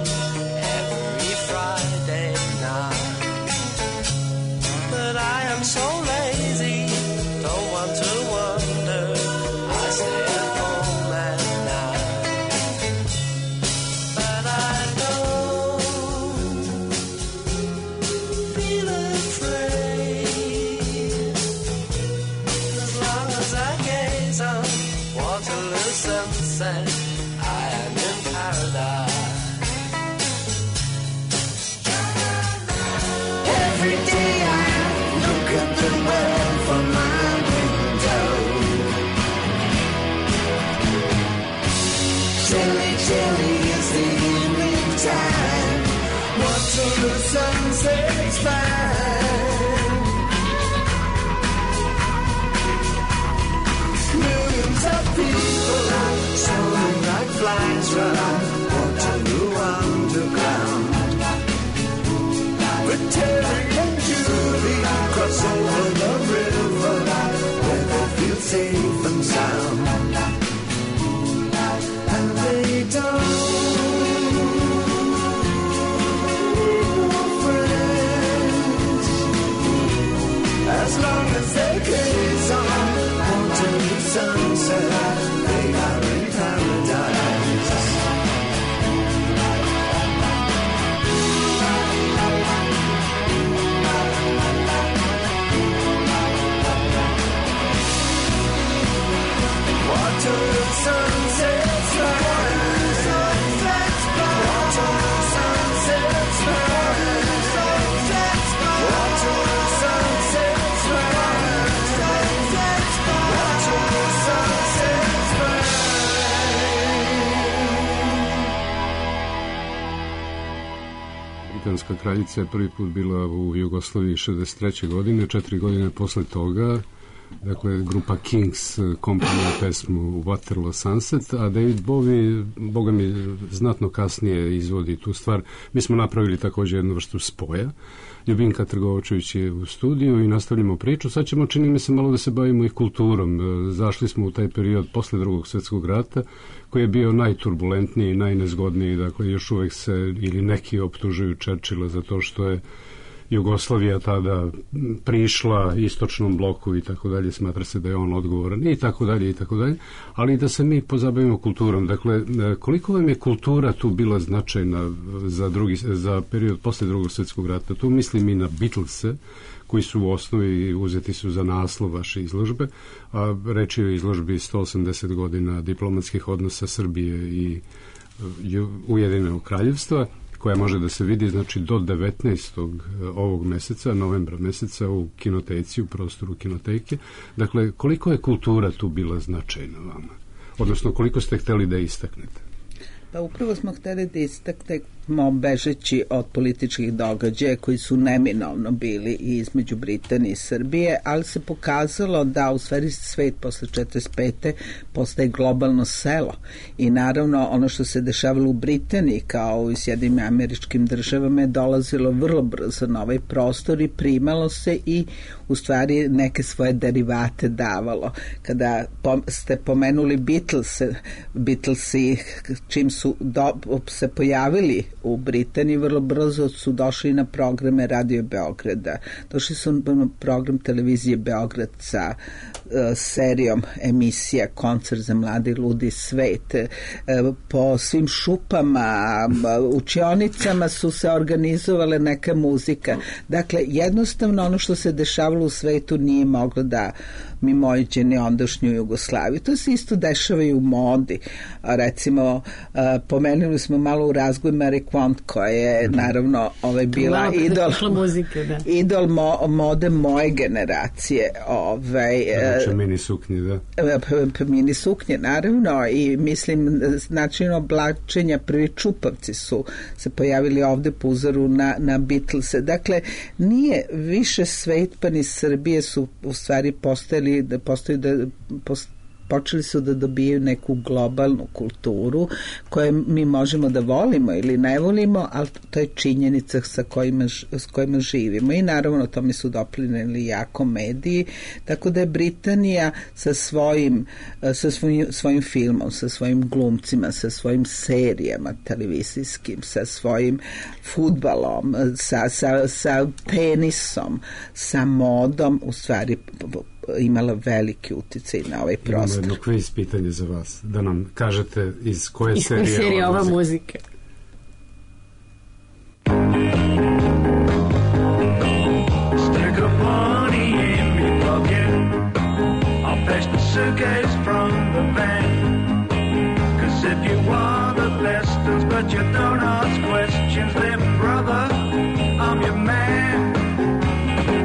every Friday night. But I am so lazy, don't want to wonder, I stay at home at night. But I don't feel afraid, as long as I gaze on Waterloo sunset, I am in paradise. Every day I look at the world from my window. Chilly, chilly is the evening time. Waterloo sunset's fine. Millions of people soaring like flies round Waterloo underground. But Terry and Julie cross over the river where they feel safe and sound. And they don't need friends, as long as they gaze on Waterloo sunset, they are in paradise. Waterloo sunset's fine. Sunset's fine. Waterloo sunset's fine. Sunset's fine. Waterloo sunset's fine. Sunset's fine. Waterloo sunset's fine. Britanska kraljica je prvi put bila u Jugoslaviji šezdeset treće godine, četiri godine posle toga. Dakle, grupa Kings komponuje pesmu Waterloo Sunset, a David Bowie, boga mi, znatno kasnije izvodi tu stvar. Mi smo napravili također jednu vrstu spoja. Ljubinka Trgovačević je u studiju i nastavljamo priču. Sad ćemo, čini mi se, malo da se bavimo i kulturom. Zašli smo u taj period posle drugog svjetskog rata, koji je bio najturbulentniji, najnezgodniji. Dakle, još uvek se, ili neki optužuju Churchilla za to što je Jugoslavija tada prišla istočnom bloku i tako dalje, smatra se da je on odgovoran i tako dalje i tako dalje, ali da se mi pozabavimo kulturom. Dakle, koliko vam je kultura tu bila značajna za, drugi, za period posle drugog svjetskog rata? Tu mislim i na Beatlese, koji su u osnovi uzeti su za naslov vaše izložbe, a reč je o izložbi sto osamdeset godina diplomatskih odnosa Srbije i Ujedinjenog kraljevstva, koja može da se vidi, znači, do devetnaestog ovog meseca, novembra meseca, u kinoteci, u prostoru kinoteke. Dakle, koliko je kultura tu bila značajna vama? Odnosno, koliko ste hteli da istaknete? Pa upravo smo hteli da istaknemo, bežeći od političkih događaja koji su neminovno bili i između Britanije i Srbije, ali se pokazalo da u stvari svet posle četrdeset pete postaje globalno selo i naravno ono što se dešavalo u Britaniji kao u Sjedinim Američkim Državama je dolazilo vrlo brzo na ovaj prostor i primalo se i u stvari neke svoje derivate davalo. Kada ste pomenuli Beatlese, Beatlesi čim su do, se pojavili u Britaniji, vrlo brzo su došli na programe Radio Beograda. Došli su na program televizije Beograd sa uh, serijom emisija Koncert za mladi ludi svet. Uh, po svim šupama, učionicama su se organizovale neka muzika. Dakle, jednostavno ono što se dešavalo u svetu nije moglo da mimoiđe ondašnju Jugoslaviju. To se isto dešava i u modi. Recimo, uh, pomenuli smo malo u razgoju Mary Quant, koja je naravno ovaj, bila idol, muzike, da. idol mo, mode moje generacije. Ovaj, znači, mini suknje, da? Mini suknje, naravno, i mislim, način oblačenja, prvi čupavci su se pojavili ovde po uzoru na, na Beatlese. Dakle, nije više svet, pa ni Srbije su u stvari postojali da postoji da postoji počeli su da dobijaju neku globalnu kulturu koju mi možemo da volimo ili ne volimo, ali to je činjenica sa kojima, s kojima živimo i naravno tome su doprineli jako mediji, tako da je Britanija sa svojim, sa svojim, svojim filmom, sa svojim glumcima, sa svojim serijama televizijskim, sa svojim fudbalom, sa, sa, sa tenisom, sa modom, u stvari imala veliki uticaj na ovaj prostor. Imamo jedno kviz pitanje za vas, da nam kažete iz koje iz serije, serije ova muzika. Stick a money in me pocket. I'll fetch the suitcase from the van. Cause if you want the lessons but you don't ask questions, then brother, I'm your man.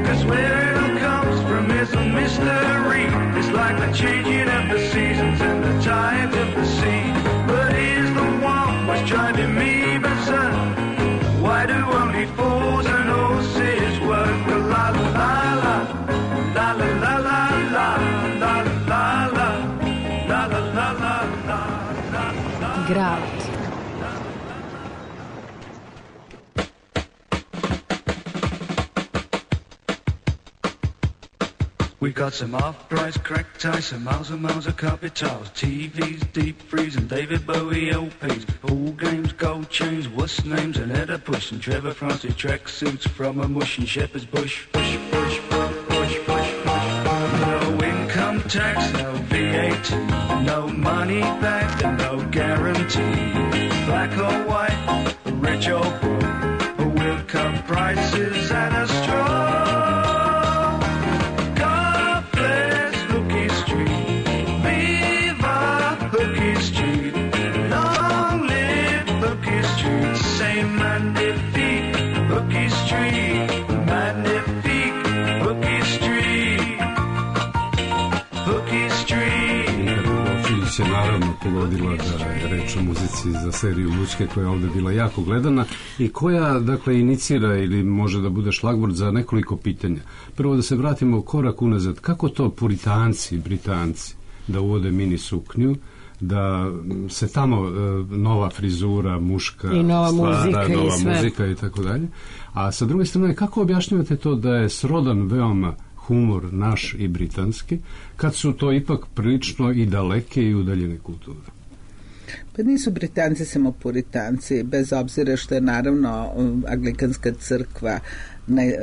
Cause where it all comes from is a mystery. It's like the changing of the seasons and the tides of the sea. But here's the one was driving me berserk. Why do only fools and horses work? La la la la, la la la la la, la la la la, la la la la la, la. Grad. We got some off-price crack ties, some miles and miles of carpet tiles, T Vs, deep freeze, and David Bowie L Ps, pool games, gold chains, wuss names, and Edda Push, and Trevor Francis track suits from a mush and Shepherd's Bush. Push, push, push, push, push, push. No income tax, no V A T, no money back, and no guarantee. Black or white, rich or poor, we'll cut prices at a straw. Se naravno pogodila da je reč o muzici za seriju Lučke koja je ovde bila jako gledana i koja dakle inicira ili može da bude šlagvort za nekoliko pitanja. Prvo da se vratimo korak unazad, kako to Puritanci, Britanci da uvode mini suknju, da se tamo e, nova frizura, muška i nova stvara, muzika, nova i sve. muzika i tako dalje. A sa druge strane, kako objašnjavate to da je srodan veoma humor naš i britanski, kad su to ipak prilično i daleke i udaljene kulture? Pa nisu Britanci samo Puritanci, bez obzira što je naravno Anglikanska crkva ne,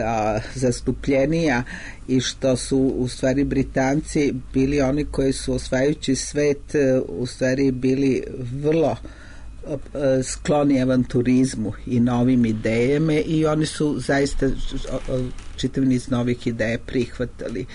a, zastupljenija i što su u stvari Britanci bili oni koji su osvajajući svet u stvari bili vrlo skloni avanturizmu i novim idejama i oni su zaista čitav niz novih ideja prihvatali.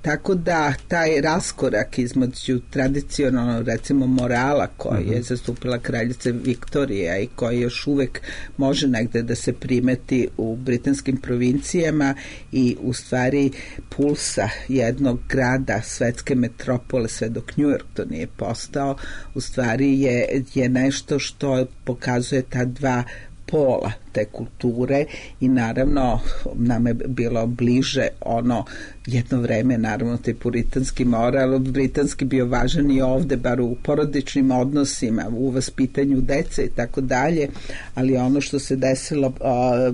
Tako da taj raskorak između tradicionalno recimo morala koji je zastupila kraljica Viktorija i koji još uvek može negde da se primeti u britanskim provincijama i u stvari pulsa jednog grada, svetske metropole, sve dok New York to nije postao, u stvari je, je nešto što pokazuje ta dva pola te kulture i naravno nam je bilo bliže ono jedno vreme, naravno taj puritanski moral, britanski bio važan i ovde, bar u porodičnim odnosima, u vaspitanju dece i tako dalje, ali ono što se desilo a,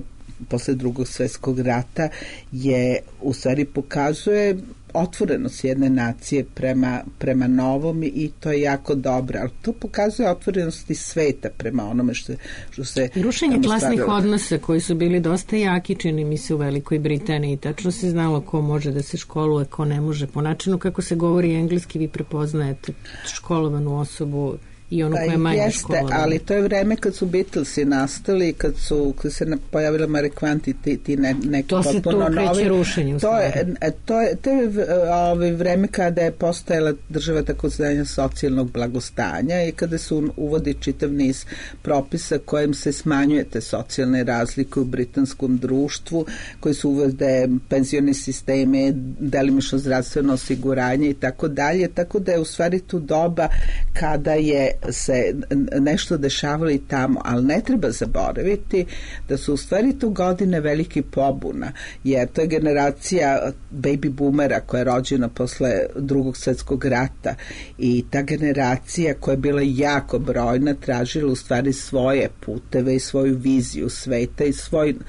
posle drugog svetskog rata je u stvari pokazuje otvorenost jedne nacije prema, prema novom i to je jako dobro, ali to pokazuje otvorenost i sveta prema onome što, što se... I rušenje klasnih stvarilo. Odnosa koji su bili dosta jaki, čini mi se u Velikoj Britaniji, tačno se znalo ko može da se školuje, ko ne može. Po načinu kako se govori engleski vi prepoznajete školovanu osobu i ono koje je manje jeste, školovano. Ali to je vreme kad su Beatlesi nastali, kad su kad se pojavila Marikvanti ti, ti ne, neki to potpuno novi. To se tu kreće rušenje u to je, to je, to je ovaj, vreme kada je postojala država takozvanja socijalnog blagostanja i kada su uvodi čitav niz propisa kojim se smanjuje te socijalne razlike u britanskom društvu, koji su uvode penzioni sisteme, delimično zdravstveno osiguranje i tako dalje, tako da je u stvari tu doba kada je se nešto dešavalo i tamo, ali ne treba zaboraviti da su u stvari tu godine veliki pobuna, jer to je generacija baby boomera koja je rođena posle drugog svjetskog rata i ta generacija koja je bila jako brojna tražila u stvari svoje puteve i svoju viziju sveta i svoj uh,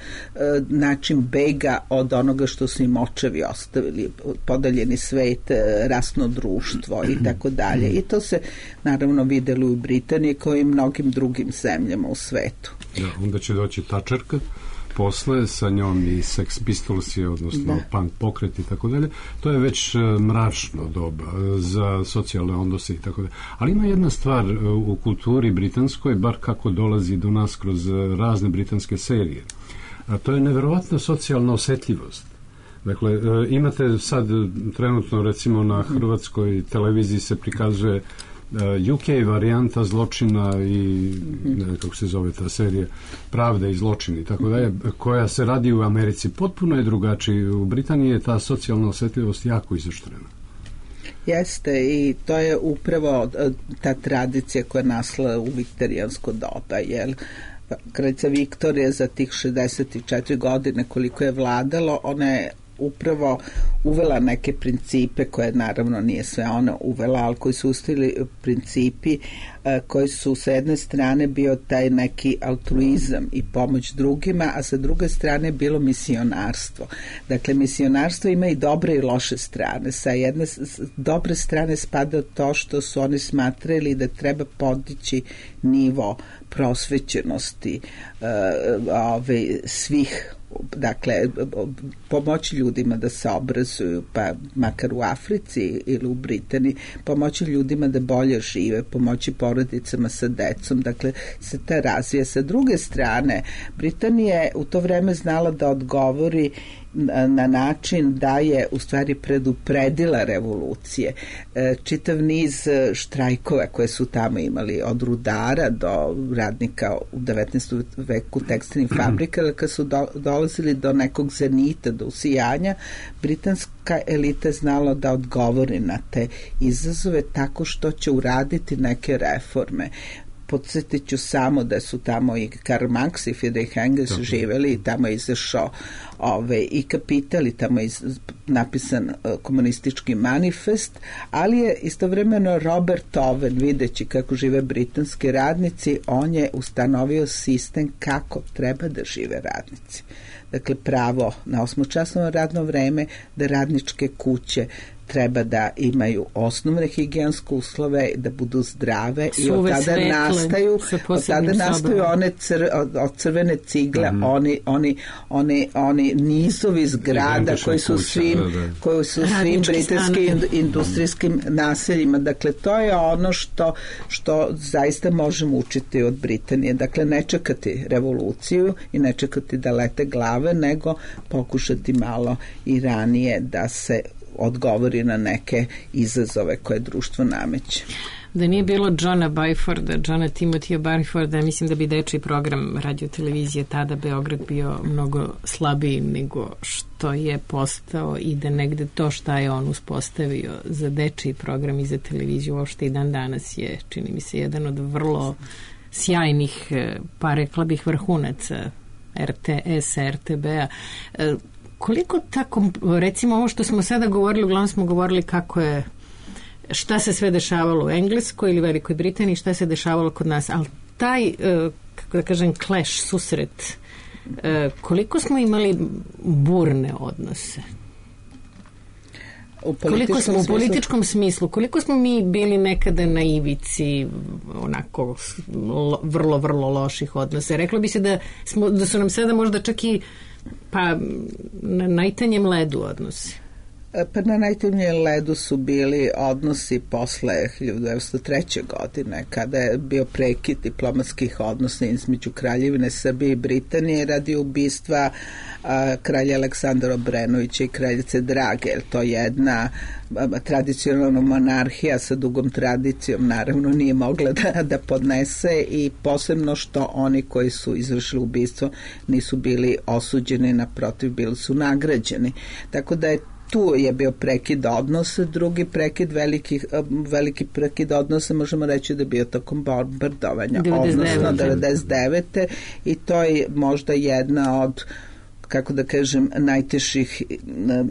način bega od onoga što su im očevi ostavili, podeljeni svet, rasno društvo i tako dalje. I to se naravno videlo u Britaniji kao i mnogim drugim zemljama u svetu. Da, onda će doći Tačerka posle, sa njom i Sex Pistols, odnosno da. Punk pokret i tako dalje. To je već mračno doba za socijalne odnose i tako dalje. Ali ima jedna stvar u kulturi britanskoj, bar kako dolazi do nas kroz razne britanske serije. A to je neverovatna socijalna osetljivost. Dakle, imate sad trenutno recimo na hrvatskoj televiziji se prikazuje U K varijanta zločina i ne znam kako se zove ta serija, Pravda i zločini, tako da je, koja se radi u Americi, potpuno je drugačiji. U Britaniji je ta socijalna osjetljivost jako izoštrena. Jeste, i to je upravo ta tradicija koja je nasla u viktorijansko doba, jer kraljica Viktorija za tih šezdeset četiri godine koliko je vladalo, ona je upravo uvela neke principe koje naravno nije sve ona uvela, ali koji su ustavili principi a, koji su sa jedne strane bio taj neki altruizam i pomoć drugima, a sa druge strane bilo misionarstvo. Dakle, misionarstvo ima i dobre i loše strane. Sa jedne s dobre strane spada to što su oni smatrali da treba podići nivo prosvećenosti a, ove, svih, dakle, pomoći ljudima da se obrazuju, pa makar u Africi ili u Britaniji, pomoći ljudima da bolje žive, pomoći porodicama sa decom, dakle se ta razvija. Sa druge strane, Britanija je u to vreme znala da odgovori na način da je u stvari predupredila revolucije. Čitav niz štrajkova koje su tamo imali, od rudara do radnika u devetnaestom veku tekstilnih fabrika, kad su do, dolazili do nekog zenita, do usijanja, britanska elita je znala da odgovori na te izazove tako što će uraditi neke reforme. Podsjetit ću samo da su tamo i Karl Marx i Friedrich Engels Tako. živeli i tamo je izašao ove, i Kapital i tamo je iz, napisan uh, komunistički manifest, ali je istovremeno Robert Owen, videći kako žive britanski radnici, on je ustanovio sistem kako treba da žive radnici. Dakle, pravo na osmočasovno radno vreme, da radničke kuće treba da imaju osnovne higijenske uslove, da budu zdrave i od tada svetle, nastaju od tada nastaju one cr, od, od crvene cigle, mm-hmm. oni, oni, oni, oni nizovi zgrada koji su kuća, svim, da, da. koji su svim britanskim industrijskim naseljima. Dakle, to je ono što, što zaista možemo učiti od Britanije. Dakle, ne čekati revoluciju i ne čekati da lete glave, nego pokušati malo i ranije da se odgovori na neke izazove koje društvo nameće. Da nije bilo Johna Byforda, Johna Timothya Byforda, mislim da bi dečiji program radiotelevizije tada Beograd bio mnogo slabiji nego što je postao i da negde to šta je on uspostavio za dečiji program i za televiziju uopšte i dan danas je, čini mi se, jedan od vrlo sjajnih, pa rekla bih vrhunaca R T S-a, R T B-a. Koliko tako, recimo ovo što smo sada govorili, uglavnom smo govorili kako je, šta se sve dešavalo u Engleskoj ili Velikoj Britaniji, šta se dešavalo kod nas, ali taj, kako da kažem, clash, susret, koliko smo imali burne odnose? U koliko smo u političkom smislu, koliko smo mi bili nekada na ivici onako lo, vrlo, vrlo loših odnosa. Reklo bi se da, smo, da su nam sada možda čak i pa na najtanjem ledu odnosi. Pa na najtanjem ledu su bili odnosi posle hiljadu devetsto treće. godine, kada je bio prekid diplomatskih odnosa između Kraljevine Srbije i Britanije radi ubistva a, kralja Aleksandra Obrenovića i kraljice Drage. To je jedna a, tradicionalna monarhija sa dugom tradicijom, naravno nije mogla da, da podnese, i posebno što oni koji su izvršili ubistvo nisu bili osuđeni, naprotiv bili su nagrađeni. Tako da je tu je bio prekid odnosa, drugi prekid veliki, veliki prekid odnosa možemo reći da je bio tokom bombardovanja, odnosno devedeset devete i to je možda jedna od, kako da kažem, najtežih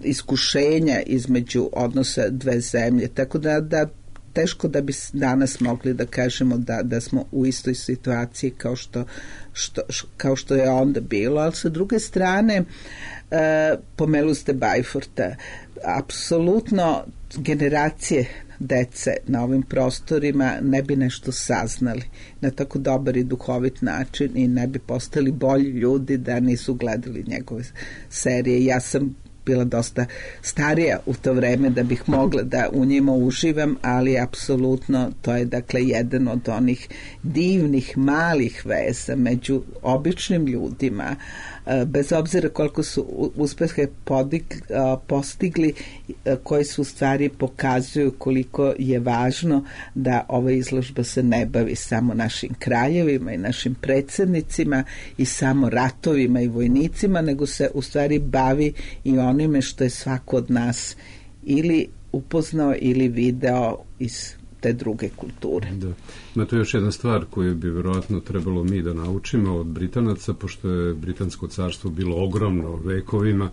iskušenja između odnosa dve zemlje, tako da, da teško da bi danas mogli da kažemo da, da smo u istoj situaciji kao što, što, kao što je onda bilo, ali sa druge strane e, pomelu ste Bajforta, apsolutno generacije dece na ovim prostorima ne bi nešto saznali na tako dobar i duhovit način i ne bi postali bolji ljudi da nisu gledali njegove serije. Ja sam bila dosta starija u to vreme da bih mogla da u njima uživam, ali apsolutno to je dakle jedan od onih divnih malih veza među običnim ljudima, bez obzira koliko su uspehe postigli, koji su u stvari pokazuju koliko je važno da ova izložba se ne bavi samo našim kraljevima i našim predsjednicima i samo ratovima i vojnicima, nego se u stvari bavi i onime što je svako od nas ili upoznao ili video iz te druge kulture. Da. Ima to još jedna stvar koju bi vjerojatno trebalo mi da naučimo od Britanaca, pošto je Britansko carstvo bilo ogromno vekovima,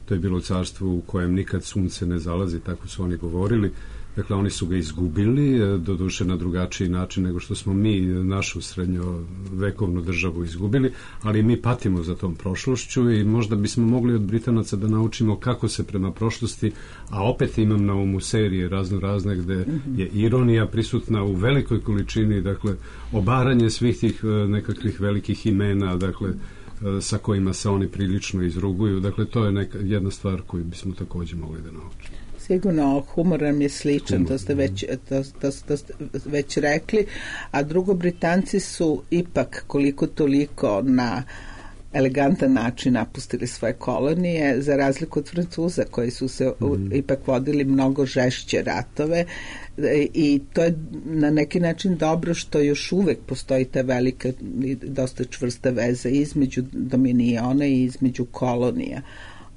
to je bilo carstvo u kojem nikad sunce ne zalazi, tako su oni govorili. Dakle, oni su ga izgubili, doduše na drugačiji način nego što smo mi našu srednjovekovnu državu izgubili, ali mi patimo za tom prošlošću i možda bismo mogli od Britanaca da naučimo kako se prema prošlosti, a opet imam na umu serije razno razne gde je ironija prisutna u velikoj količini, dakle, obaranje svih tih nekakvih velikih imena, dakle, sa kojima se oni prilično izruguju. Dakle, to je neka, jedna stvar koju bismo također mogli da naučimo. Sigurno, humor nam je sličan, to ste već, to, to, to ste već rekli, a drugo, Britanci su ipak koliko toliko na elegantan način napustili svoje kolonije, za razliku od Francuza koji su se mm. ipak vodili mnogo žešće ratove i to je na neki način dobro što još uvek postoji ta velika i dosta čvrsta veza između Dominiona i između kolonija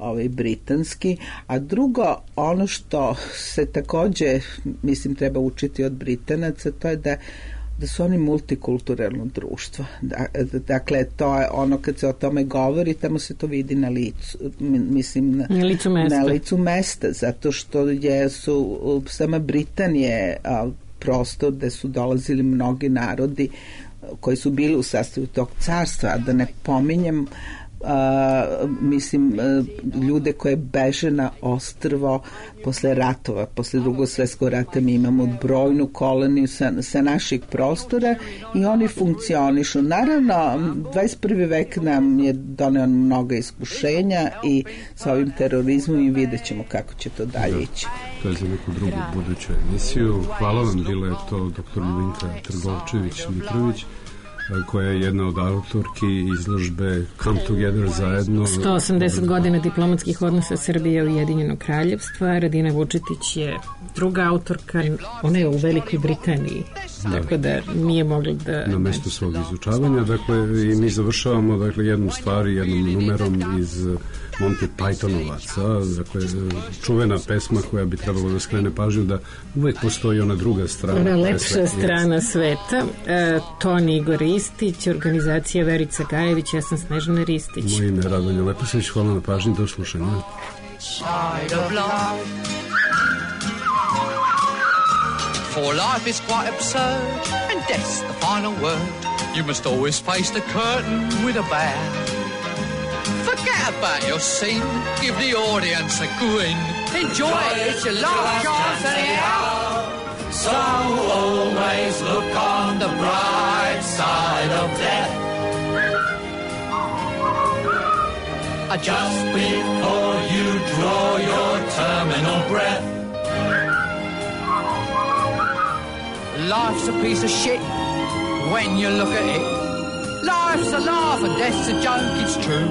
ovaj britanski, a drugo, ono što se također, mislim, treba učiti od Britanaca, to je da, da su oni multikulturalno društvo. Da, dakle, to je ono kad se o tome govori, tamo se to vidi na licu, mislim, na, na, licu, mesta. na licu mesta, zato što je, su sama Britanije a, prostor gde su dolazili mnogi narodi koji su bili u sastavu tog carstva, a da ne pominjem Uh, mislim uh, ljude koje beže na ostrvo posle ratova, posle drugog svjetskog rata. Mi imamo brojnu koloniju sa, sa naših prostora i oni funkcionišu. Naravno, dvadeset prvi vek nam je doneo mnogo iskušenja i sa ovim terorizmom i vidjet ćemo kako će to dalje ići. To je za neku drugu buduću emisiju. Hvala vam, bila je to doktor Ljubinka Trgovčević-Mitrović, koja je jedna od autorki izložbe Come Together zajedno. sto osamdeset godina diplomatskih odnosa Srbije i Ujedinjenog kraljevstva. Radina Vučetić je druga autorka, ona je u Velikoj Britaniji, da. Tako da nije mogla da... Na mestu svog izučavanja, dakle, i mi završavamo, dakle, jednu stvar, jednom numerom iz Monty Pythonovaca, dakle, čuvena pesma koja bi trebalo da skrene pažnju da uvek postoji ona druga strana. Ona lepša strana sveta. E, Toni Igor Ristić, organizacija Verica Gajević, ja sam Snežana Ristić. Moje ime je Radonja Leposavić, hvala na pažnji, do slušanja. For life is quite absurd, and death's the final word. You must always face the curtain with a bow. Forget about your scene, give the audience a grin. Enjoy it, it's your last chance anyhow. So always look on the bright side of death. Just before you draw your terminal breath. Life's a piece of shit when you look at it. Life's a laugh and death's a joke, it's true.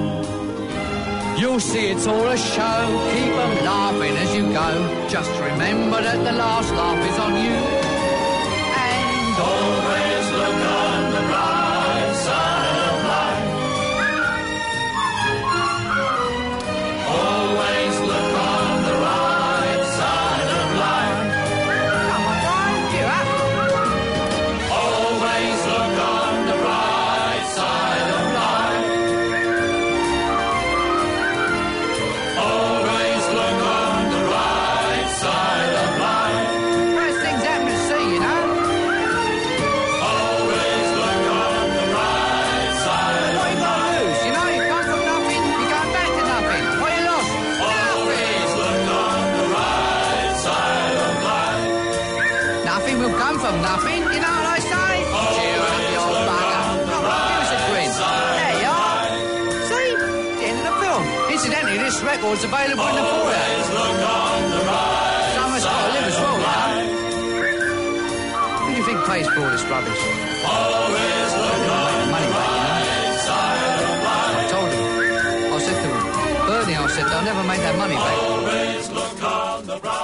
You'll see it's all a show, keep them laughing as you go. Just remember that the last laugh is on you. And always look on the bright side of life. Always look on the right nothing, you know what I say? Cheer up, you old bugger. Come on, give us a grin. There you are. See? The end of the film. Incidentally, this record's available in the foyer. Someone's got to live as well, you know. Who do you think pays for all this rubbish? Always look on the money back, you know. I told him. I said to him, Bernie, I said, they'll never make that money back. Always look on the right.